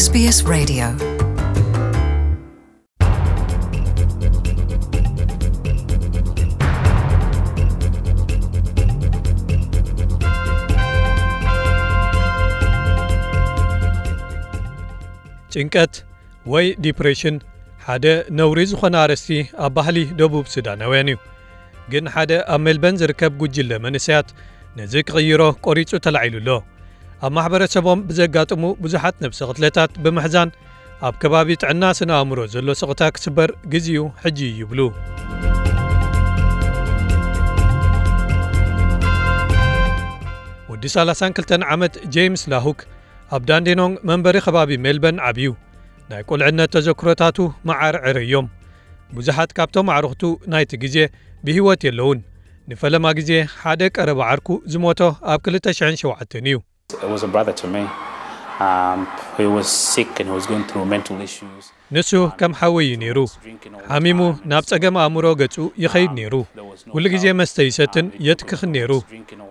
S B S Radio. ጭንቀት ወይ ዲፕሬሽን ሓደ ነውሪ ዝኾነ ኣርእስቲ ኣብ ባህሊ ደቡብ ሱዳናውያን እዩ። ግን ሓደ ኣብ ሜልበን ዝርከብ ጉጅለ መንእሰያት ነዚ ክቕይሮ ቆሪጹ ተላዒሉ ኣሎ። ኣብ ማሕበረሰቦም ብዘጋጥሙ ብዙሓት ነብሰ ቅትለታት ብምሕዛን ኣብ ከባቢ ጥዕና ስነ ኣእምሮ ዘሎ ስቕታ ክስበር ግዜኡ ሕጂ እዩ ይብሉ። ወዲ ሰላሳን ክልተን ዓመት ጄምስ ላሁክ ኣብ ዳንዴኖንግ መንበሪ ከባቢ ሜልበን ዓብዩ። ናይ ቁልዕነት ተዘክሮታቱ መዓር ዕረ እዮም። ብዙሓት ካብቶም ኣዕሩኽቱ ናይቲ ግዜ ብህይወት የለውን። ንፈለማ ግዜ ሓደ ቀረባ ዓርኩ ዝሞቶ ኣብ ክልተ ሽሕን ሸውዓተን እዩ። It was a brother to me. Um, he was sick and he was going through mental issues. ንሱ ከም ሓወይ እዩ ነይሩ። ሓሚሙ ናብ ጸገም ኣእምሮ ገጹ ይኸይድ ነይሩ። ኩሉ ግዜ መስተ ይሰትን የትክኽን ነይሩ።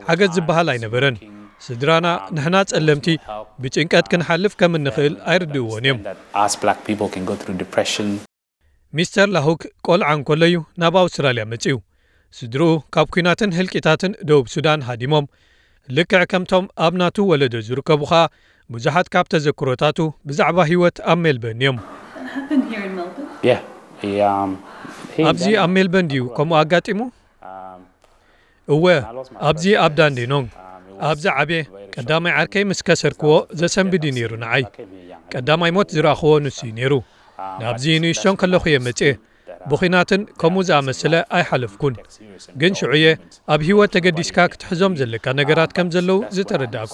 ሓገዝ ዝበሃል ኣይነበረን። ስድራና ንሕና ጸለምቲ ብጭንቀት ክንሓልፍ ከም እንኽእል ኣይርድእዎን እዮም። That us black people can go through depression. ሚስተር ላሁክ ቆልዓ እንከሎ እዩ ናብ ኣውስትራልያ መጺኡ። ስድርኡ ካብ ኲናትን ህልቂታትን ደቡብ ሱዳን ሃዲሞም። ልክዕ ከምቶም ኣብ ናቱ ወለዶ ዝርከቡ ኸኣ ብዙሓት ካብ ተዘክሮታቱ ብዛዕባ ህይወት ኣብ ሜልበርን እዮም። That happened here in Melbourne? Yeah. He, um, he, ኣብዚ ኣብ ሜልበርን ድዩ ከምኡ ኣጋጢሙ? እወ፣ ኣብዚ ኣብ ዳንዴኖንግ ኣብ ዝዓብየ ቀዳማይ ዓርከይ ምስ ከሰርክዎ ዘሰንብድ እዩ ነይሩ ንዓይ። ቀዳማይ ሞት ዝረኣኽዎ ንሱ እዩ ነይሩ። ናብዚ ንእሽቶን ከለኹ እየ መጽኤ። ብኹናትን ከምኡ ዝኣመሰለ ኣይሓለፍኩን። ግን ሽዑየ ኣብ ህይወት ተገዲስካ ክትሕዞም ዘለካ ነገራት ከም ዘለዉ ዝተረዳእኩ።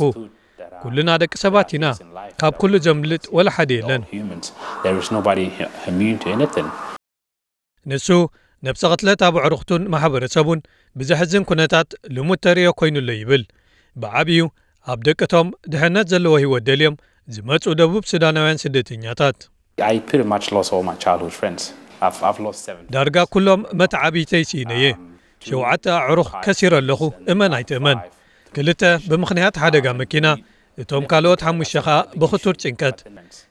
ኩልና ደቂ ሰባት ኢና። ካብ ኩሉ ዘምልጥ ወላ ሓደ የለን። Humans. There is nobody immune to anything. ንሱ ነብሰ ቅትለት ኣብ ኣዕሩኽቱን ማሕበረሰቡን ብዘሕዝን ኩነታት ልሙድ ተርእዮ ኮይኑ ኣሎ ይብል። ብዓብዩ ኣብ ደቅቶም ድሕነት ዘለዎ ህይወት ደልዮም ዝመጹ ደቡብ ሱዳናውያን ስደተኛታት። I pretty much lost all my childhood friends. I've, I've lost seven. ዳርጋ ኩሎም መተዓብይተይ ስኢነየ። ሸውዓተ ኣዕሩኽ ከሲረ ኣለኹ፣ እመን ኣይትእመን። ክልተ ብምኽንያት ሓደጋ መኪና፣ እቶም ካልኦት ሓሙሽተ ኸኣ ብኽቱር ጭንቀት።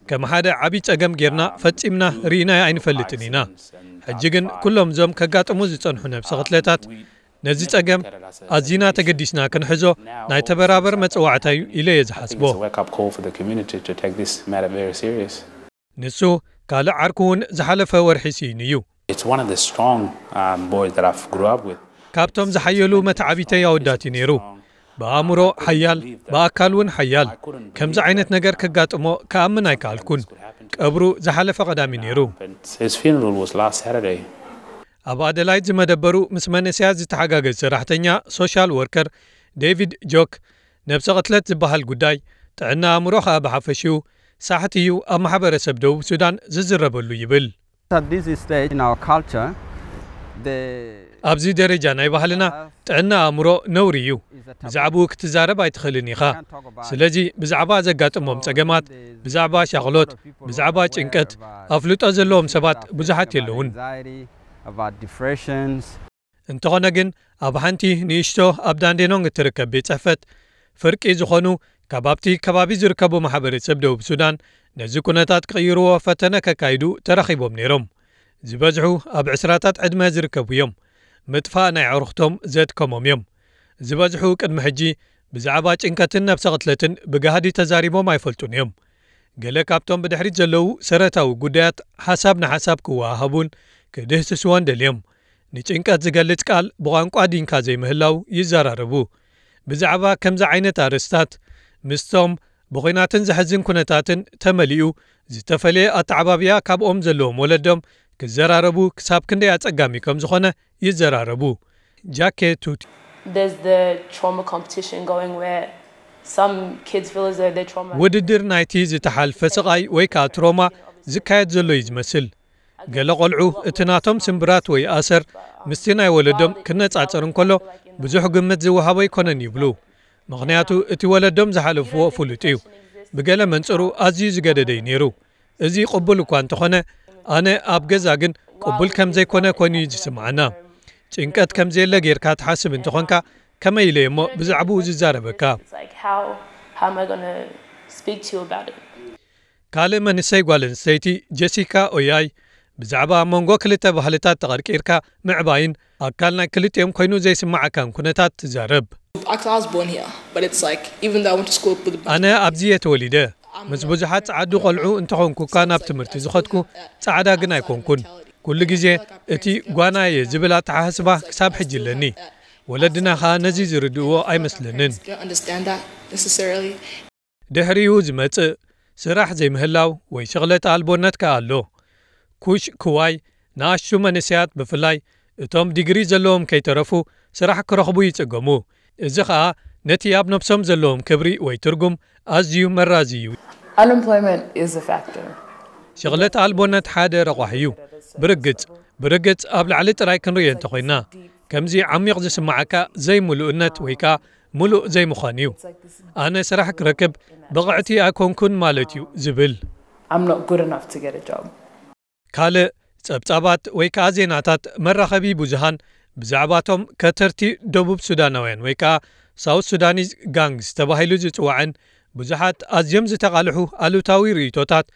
ከም ሓደ ዓብዪ ጸገም ጌርና ፈጺምና ርኢናዮ ኣይንፈልጥን ኢና። ሕጂ ግን ኩሎም እዞም ከጋጥሙ ዝጸንሑ ነብሰ ቅትለታት ነዚ ጸገም ኣዚና ተገዲስና ክንሕዞ ናይ ተበራበር መጸዋዕታ እዩ ኢለ እየ ዝሓስቦ። It's a wake-up call for the community to take this matter very serious. ንሱ ካልእ ዓርኩ እውን ዝሓለፈ ወርሒ ስኢኑ እዩ። It's one of the strong um, boys that I've grew up with. ካብቶም ዝሓየሉ መተዓቢተይ ኣወዳት እዩ ነይሩ። ብኣእምሮ ሓያል፣ ብኣካል እውን ሓያል። ከምዚ ዓይነት ነገር ከጋጥሞ ክኣምን ኣይከኣልኩን። ቀብሩ ዝሓለፈ ቀዳሚ ነይሩ። His funeral was last Saturday. ኣብ ኣደላይድ ዝመደበሩ ምስ መንእሰያት ዝተሓጋገዝ ሰራሕተኛ ሶሻል ወርከር ዴቪድ ጆክ፣ ነብሰ ቅትለት ዝበሃል ጉዳይ፣ ጥዕና ኣእምሮ ኸኣ ብሓፈሽኡ ሳሕቲ እዩ ኣብ ማሕበረሰብ ደቡብ ሱዳን ዝዝረበሉ ይብል። At this stage in our culture, the ኣብዚ ደረጃ ናይ ባህልና ጥዕና ኣእምሮ ነውሪ እዩ። ብዛዕባኡ ክትዛረብ ኣይትኽእልን ኢኻ። ስለዚ ብዛዕባ ዘጋጥሞም ጸገማት፣ ብዛዕባ ሻቕሎት፣ ብዛዕባ ጭንቀት ኣፍልጦ ዘለዎም ሰባት ብዙሓት የለውን። About depressions. እንተኾነ ግን ኣብ ሓንቲ ንእሽቶ ኣብ ዳንዴኖንግ እትርከብ ቤት ጽሕፈት ፍርቂ ዝኾኑ ካብ ኣብቲ ከባቢ ዝርከቡ ማሕበረሰብ ደቡብ ሱዳን ነዚ ኩነታት ክቕይርዎ ፈተነ ከካይዱ ተራኺቦም ነይሮም። ዝበዝሑ ኣብ ዕስራታት ዕድመ ዝርከቡ እዮም። ምጥፋእ ናይ ኣዕሩኽቶም ዘድከሞም እዮም። ዝበዝሑ ቅድሚ ሕጂ ብዛዕባ ጭንቀትን ነብሰ ቅትለትን ብጋህዲ ተዛሪቦም ኣይፈልጡን እዮም። ገለ ካብቶም ብድሕሪት ዘለዉ ሰረታዊ ጉዳያት ሓሳብ ንሓሳብ ክወሃሃቡን ክድህስስዎን ደልዮም። ንጭንቀት ዝገልጽ ቃል ብቋንቋ ዲንካ ዘይምህላው ይዘራረቡ። ብዛዕባ ከምዚ ዓይነት ኣርእስታት ምስቶም ብኹናትን ዘሕዝን ኩነታትን ተመሊኡ ዝተፈለየ ኣተዓባብያ ካብኦም ዘለዎም ወለዶም ክዘራረቡ ክሳብ ክንደይ ኣጸጋሚ ከም ዝኾነ ይዘራረቡ። ጃኬ ቱቲ There's the trauma competition going where some kids feel as though they're traumatized. ውድድር ናይቲ ዝተሓልፈ ስቓይ ወይ ከኣ ትሮማ ዝካየድ ዘሎ እዩ ዝመስል። ገለ ቆልዑ እቲ ናቶም ስምብራት ወይ ኣሰር ምስቲ ናይ ወለዶም ክነጻጸር እንከሎ ብዙሕ ግምት ዝወሃቦ ኣይኮነን ይብሉ። ምኽንያቱ እቲ ወለዶም ዝሓለፍዎ ፍሉጥ እዩ። ብገለ መንጽሩ ኣዝዩ ዝገደደ እዩ ነይሩ። እዚ ቅቡል እኳ እንተኾነ ኣነ ኣብ ገዛ ግን ቅቡል ከም ዘይኮነ ኮይኑ እዩ ዝስምዓና። ጭንቀት ከም ዘየለ ጌርካ ትሓስብ እንተኾንካ ከመይ ኢለ እሞ ብዛዕባኡ ዝዛረበካ? It's like how how am I gonna speak to you about it? ካልእ መንእሰይ ጓል ኣንስተይቲ ጀሲካ ኦያይ ብዛዕባ ኣብ መንጎ ክልተ ባህልታት ተቐርቂርካ ምዕባይን ኣካል ናይ ክልቲኦም ኮይኑ ዘይስምዓካን ኩነታት ትዛረብ። I was born here, but it's like, even though I went to school with ኣነ ኣብዚ እየ ተወሊደ። ምስ ብዙሓት ጸዓዱ ቆልዑ እንተኾንኩ እኳ ናብ ትምህርቲ ዝኸድኩ፣ ጻዕዳ ግን ኣይኮንኩን። ኩሉ ግዜ እቲ ጓና እየ ዝብል ኣተሓሳስባ ክሳብ ሕጂ ኣለኒ። ወለድና ኸኣ ነዚ ዝርድእዎ ኣይመስለንን። Don't understand that necessarily. ድሕሪኡ ዝመጽእ ስራሕ ዘይምህላው ወይ ሸቕለት ኣልቦነት ከኣ ኣሎ። ኩሽ ክዋይ ንኣሽቱ መንእሰያት ብፍላይ እቶም ዲግሪ ዘለዎም ከይተረፉ ስራሕ ክረኽቡ ይጽገሙ። እዚ ኸኣ ነቲ ኣብ ነብሶም ዘለዎም ክብሪ ወይ ትርጉም ኣዝዩ መራዚ እዩ። Unemployment is a factor. ሸቕለት ኣልቦነት ሓደ ረቋሒ እዩ። ብርግጽ ብርግጽ ኣብ ላዕሊ ጥራይ ክንርእዮ እንተኾይና ከምዚ ዓሚቕ ዝስምዓካ ዘይምሉእነት ወይ ከኣ ምሉእ ዘይምዃን እዩ። ኣነ ስራሕ ክረክብ ብቕዕቲ ኣይኮንኩን ማለት እዩ ዝብል። I'm not good enough to get a job. ካልእ ጸብጻባት ወይ ከኣ ዜናታት መራኸቢ ብዙሃን ብዛዕባቶም ከተርቲ ደቡብ ሱዳናውያን ወይ ከኣ ሳውት ሱዳኒዝ ጋንግስ ተባሂሉ ዝጽዋዕን ብዙሓት ኣዝዮም ዝተቓልሑ ኣሉታዊ ርእይቶታት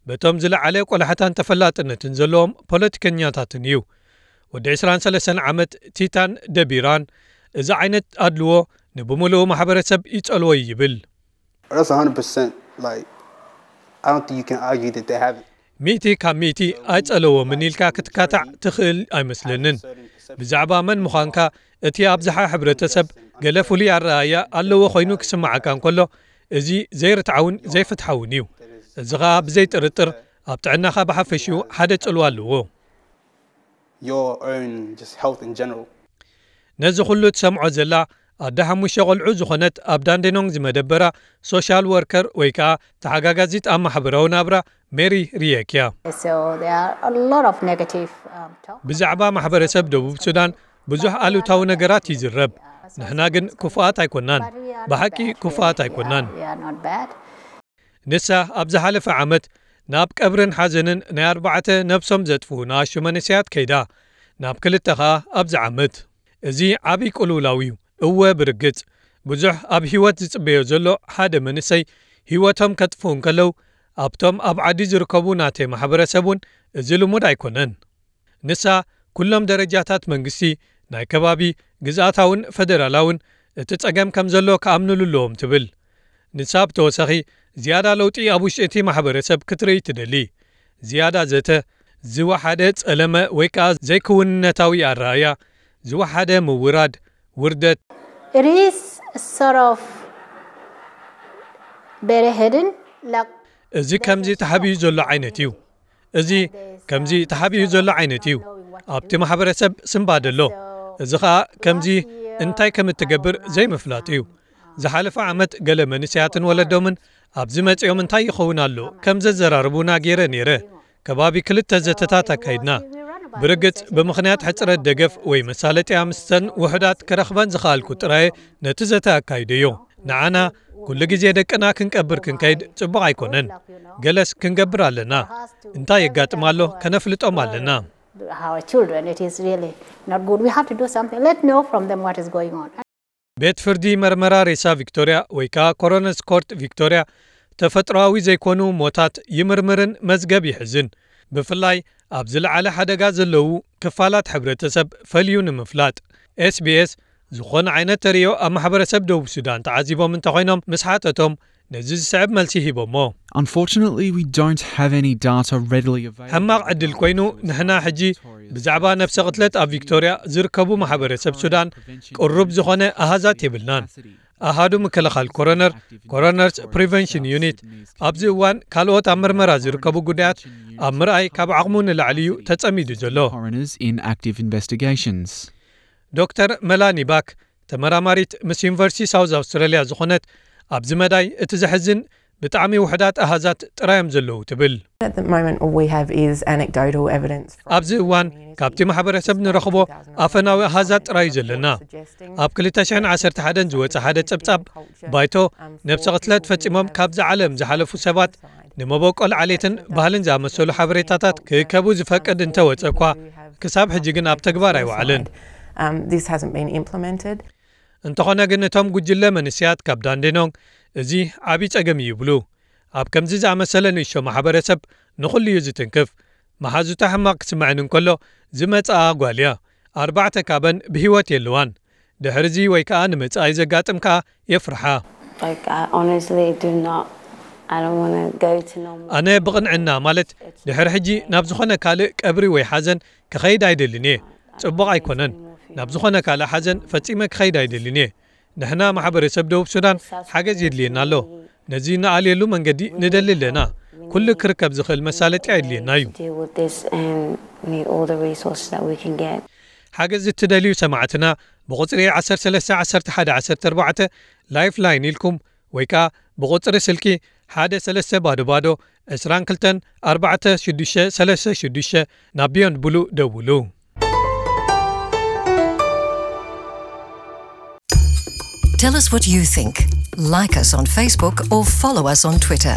በቶም ዝለዓለ ቆላሕታን ተፈላጥነትን ዘለዎም ፖለቲከኛታትን እዩ። ወዲ ዕስራን ሰለስተን ዓመት ቲታን ደቢራን እዚ ዓይነት ኣድልዎ ንብምሉኡ ማሕበረሰብ ይጸልዎ እዩ ይብል። That's one hundred percent. Like, I don't think you can argue that they haven't. ሚእቲ ካብ ሚእቲ ኣይጸለዎምን ኢልካ ክትካታዕ ትኽእል ኣይመስለንን። ብዛዕባ መን ምዃንካ እቲ ኣብዝሓ ሕብረተሰብ ገለ ፍሉይ ኣረኣእያ ኣለዎ ኮይኑ ክስምዓካ እንከሎ፣ እዚ ዘይርትዓውን ዘይፍትሓውን እዩ። እዚ ኸኣ ብዘይ ጥርጥር ኣብ ጥዕናኻ ብሓፈሽኡ ሓደ ጽልዋ ኣለዎ። Your own just health in general. ነዚ ኩሉ ትሰምዖ ዘላ ኣደ ሓሙሽተ ቆልዑ ዝኾነት ኣብ ዳንዴኖንግ ዝመደበራ ሶሻል ወርከር ወይ ከኣ ተሓጋጋዚት ኣብ ማሕበራዊ ናብራ ሜሪ ሪየክ እያ። So there are a lot of negative um, talk. ብዛዕባ ማሕበረሰብ ደቡብ ሱዳን ብዙሕ ኣሉታዊ ነገራት ይዝረብ። ንሕና ግን ክፉኣት ኣይኮናን። ብሓቂ ክፉኣት ኣይኮናን። We are not bad. ንሳ ኣብ ዝሓለፈ ዓመት ናብ ቀብርን ሓዘንን ናይ ኣርባዕተ ነብሶም ዘጥፍኡ ንኣሽቱ መንእሰያት ከይዳ። ናብ ክልተ ኸኣ ኣብዚ ዓመት። እዚ ዓብዪ ቅልውላው እዩ። እወ ብርግጽ ብዙሕ ኣብ ህይወት ዝጽበዮ ዘሎ ሓደ መንእሰይ ህይወቶም ከጥፍኡ እንከለዉ ኣብቶም ኣብ ዓዲ ዝርከቡ ናተይ ማሕበረሰብ እውን እዚ ልሙድ ኣይኮነን። ንሳ ኩሎም ደረጃታት መንግስቲ ናይ ከባቢ ግዝኣታውን ፈደራላውን እቲ ጸገም ከም ዘሎ ክኣምንሉ ኣለዎም ትብል። ንሳ ብተወሳኺ ዝያዳ ለውጢ ኣብ ውሽጢ እቲ ማሕበረሰብ ክትርኢ ትደሊ። ዝያዳ ዘተ፣ ዝወሓደ ጸለመ ወይ ከኣ ዘይክውንነታዊ ኣረኣእያ፣ ዝወሓደ ምውራድ፣ ውርደት፣ It is sort of very hidden. Like እዚ ከምዚ ተሓቢኡ ዘሎ ዓይነት እዩ። እዚ ከምዚ ተሓቢኡ ዘሎ ዓይነት እዩ። ኣብቲ ማሕበረሰብ ስንባደ ኣሎ። እዚ ኸኣ ከምዚ እንታይ ከም እትገብር ዘይምፍላጥ እዩ። ዝሓለፈ ዓመት ገለ መንእሰያትን ወለዶምን ኣብዚ መጺኦም እንታይ ይኸውን ኣሎ ከም ዘዘራርቡና ገይረ ነይረ። ከባቢ ክልተ ዘተታት ኣካይድና። ብርግጽ ብምኽንያት ሕጽረት ደገፍ ወይ መሳለጥያ ምስተን ውሑዳት ክረኽበን ዝኸኣልኩ ጥራየ ነቲ ዘተ ኣካይደዮ። ንዓና ኩሉ ግዜ ደቅና ክንቀብር ክንከይድ ጽቡቕ ኣይኮነን። ገለስ ክንገብር ኣለና። እንታይ የጋጥም ኣሎ ከነፍልጦም ኣለና። Our children, it is really not good. We have to do something. Let's know from them what is going on. ቤት ፍርዲ መርመራ ሬሳ ቪክቶርያ ወይ ከኣ ኮሮነርስ ኮርት ቪክቶርያ ተፈጥሮኣዊ ዘይኮኑ ሞታት ይምርምርን መዝገብ ይሕዝን። ብፍላይ ኣብ ዝለዓለ ሓደጋ ዘለዉ ክፋላት ሕብረተሰብ ፈልዩ ንምፍላጥ። ኤስቢኤስ ዝኾነ ዓይነት ተርእዮ ኣብ ማሕበረሰብ ደቡብ ሱዳን ተዓዚቦም እንተኾይኖም ምስ ሓተቶም ነዚ ዝስዕብ መልሲ ሂቦሞ። Unfortunately, we don't have any data readily available. ሕማቕ ዕድል ኮይኑ ንሕና ሕጂ ብዛዕባ ነብሰ ቅትለት ኣብ ቪክቶርያ ዝርከቡ ማሕበረሰብ ሱዳን ቅሩብ ዝኾነ ኣሃዛት የብልናን። ኣሃዱ ምክልኻል ኮሮነር፣ ኮሮነርስ ፕሪቨንሽን ዩኒት፣ ኣብዚ እዋን ካልኦት ኣብ ምርመራ ዝርከቡ ጉዳያት ኣብ ምርኣይ ካብ ዓቕሙ ንላዕሊ እዩ ተጸሚዱ ዘሎ። Coroners in active investigations. ዶክተር መላኒ ባክ ተመራማሪት ምስ ዩኒቨርሲቲ ሳውዝ ኣውስትራልያ ዝኾነት ኣብዚ መዳይ እቲ ዘሕዝን ብጣዕሚ ውሕዳት ኣሃዛት ጥራዮም ዘለዉ ትብል። At the moment, all we have is anecdotal evidence. ኣብዚ እዋን ካብቲ ማሕበረሰብ ንረኽቦ ኣፈናዊ ኣሃዛት ጥራዩ ዘለና። ኣብ ክልተ ሽሕን ዓሰርተ ሓደን ዝወጸ ሓደ ጸብጻብ ባይቶ ነብሰ ቅትለት ፈጺሞም ካብዚ ዓለም ዝሓለፉ ሰባት ንመበቆል ዓሌትን ባህልን ዝኣመሰሉ ሓበሬታታት ክእከቡ ዝፈቅድ እንተወጸ እኳ ክሳብ ሕጂ ግን ኣብ ተግባር ኣይወዓለን። Um, this hasn't been implemented. እንተኾነ ግን እቶም ጉጅለ መንእሰያት ካብ ዳንዴኖንግ እዚ ዓብዪ ጸገም እዩ ይብሉ። ኣብ ከምዚ ዝኣመሰለ ንእሽቶ ማሕበረሰብ ንኹሉ እዩ ዝትንክፍ። መሓዙታ ሕማቕ ክስምዐን እንከሎ ዝመጽኣ ጓል እያ። ኣርባዕተ ካበን ብህይወት የለዋን። ድሕርዚ ወይ ከኣ ንመጻኢ ዘጋጥም ከኣ የፍርሓ። Like, I honestly do not. I don't want to go to no more. ኣነ ብቕንዕና ማለት ድሕሪ ሕጂ ናብ ዝኾነ ካልእ ቀብሪ ወይ ሓዘን ክኸይድ ኣይደልን እየ። ጽቡቕ ኣይኮነን። ናብ ዝኾነ ካልእ ሓዘን ፈጺመ ክኸይድ ኣይደልን እየ። ንሕና ማሕበረሰብ ደቡብ ሱዳን ሓገዝ የድልየና ኣሎ። ነዚ ንኣልየሉ መንገዲ ንደሊ ኣለና። ኩሉ ክርከብ ዝኽእል መሳለጢ ኣየድልየና እዩ። Deal with this and need all the resources that we can get. ሓገዝ እትደልዩ ሰማዕትና ብቑጽሪ ዓሰርተ ሰለስተ ዓሰርተ ሓደ ዓሰርተ ኣርባዕተ ላይፍ ላይን ኢልኩም ወይ ከኣ ብቑጽሪ ስልኪ ሓደ ሰለስተ ባዶ ባዶ ዕስራን ክልተን ኣርባዕተ ሽዱሽተ ሰለስተ ሽዱሽተ ናብ ቢዮንድ ብሉ ደውሉ። Tell us what you think. Like us on Facebook or follow us on Twitter.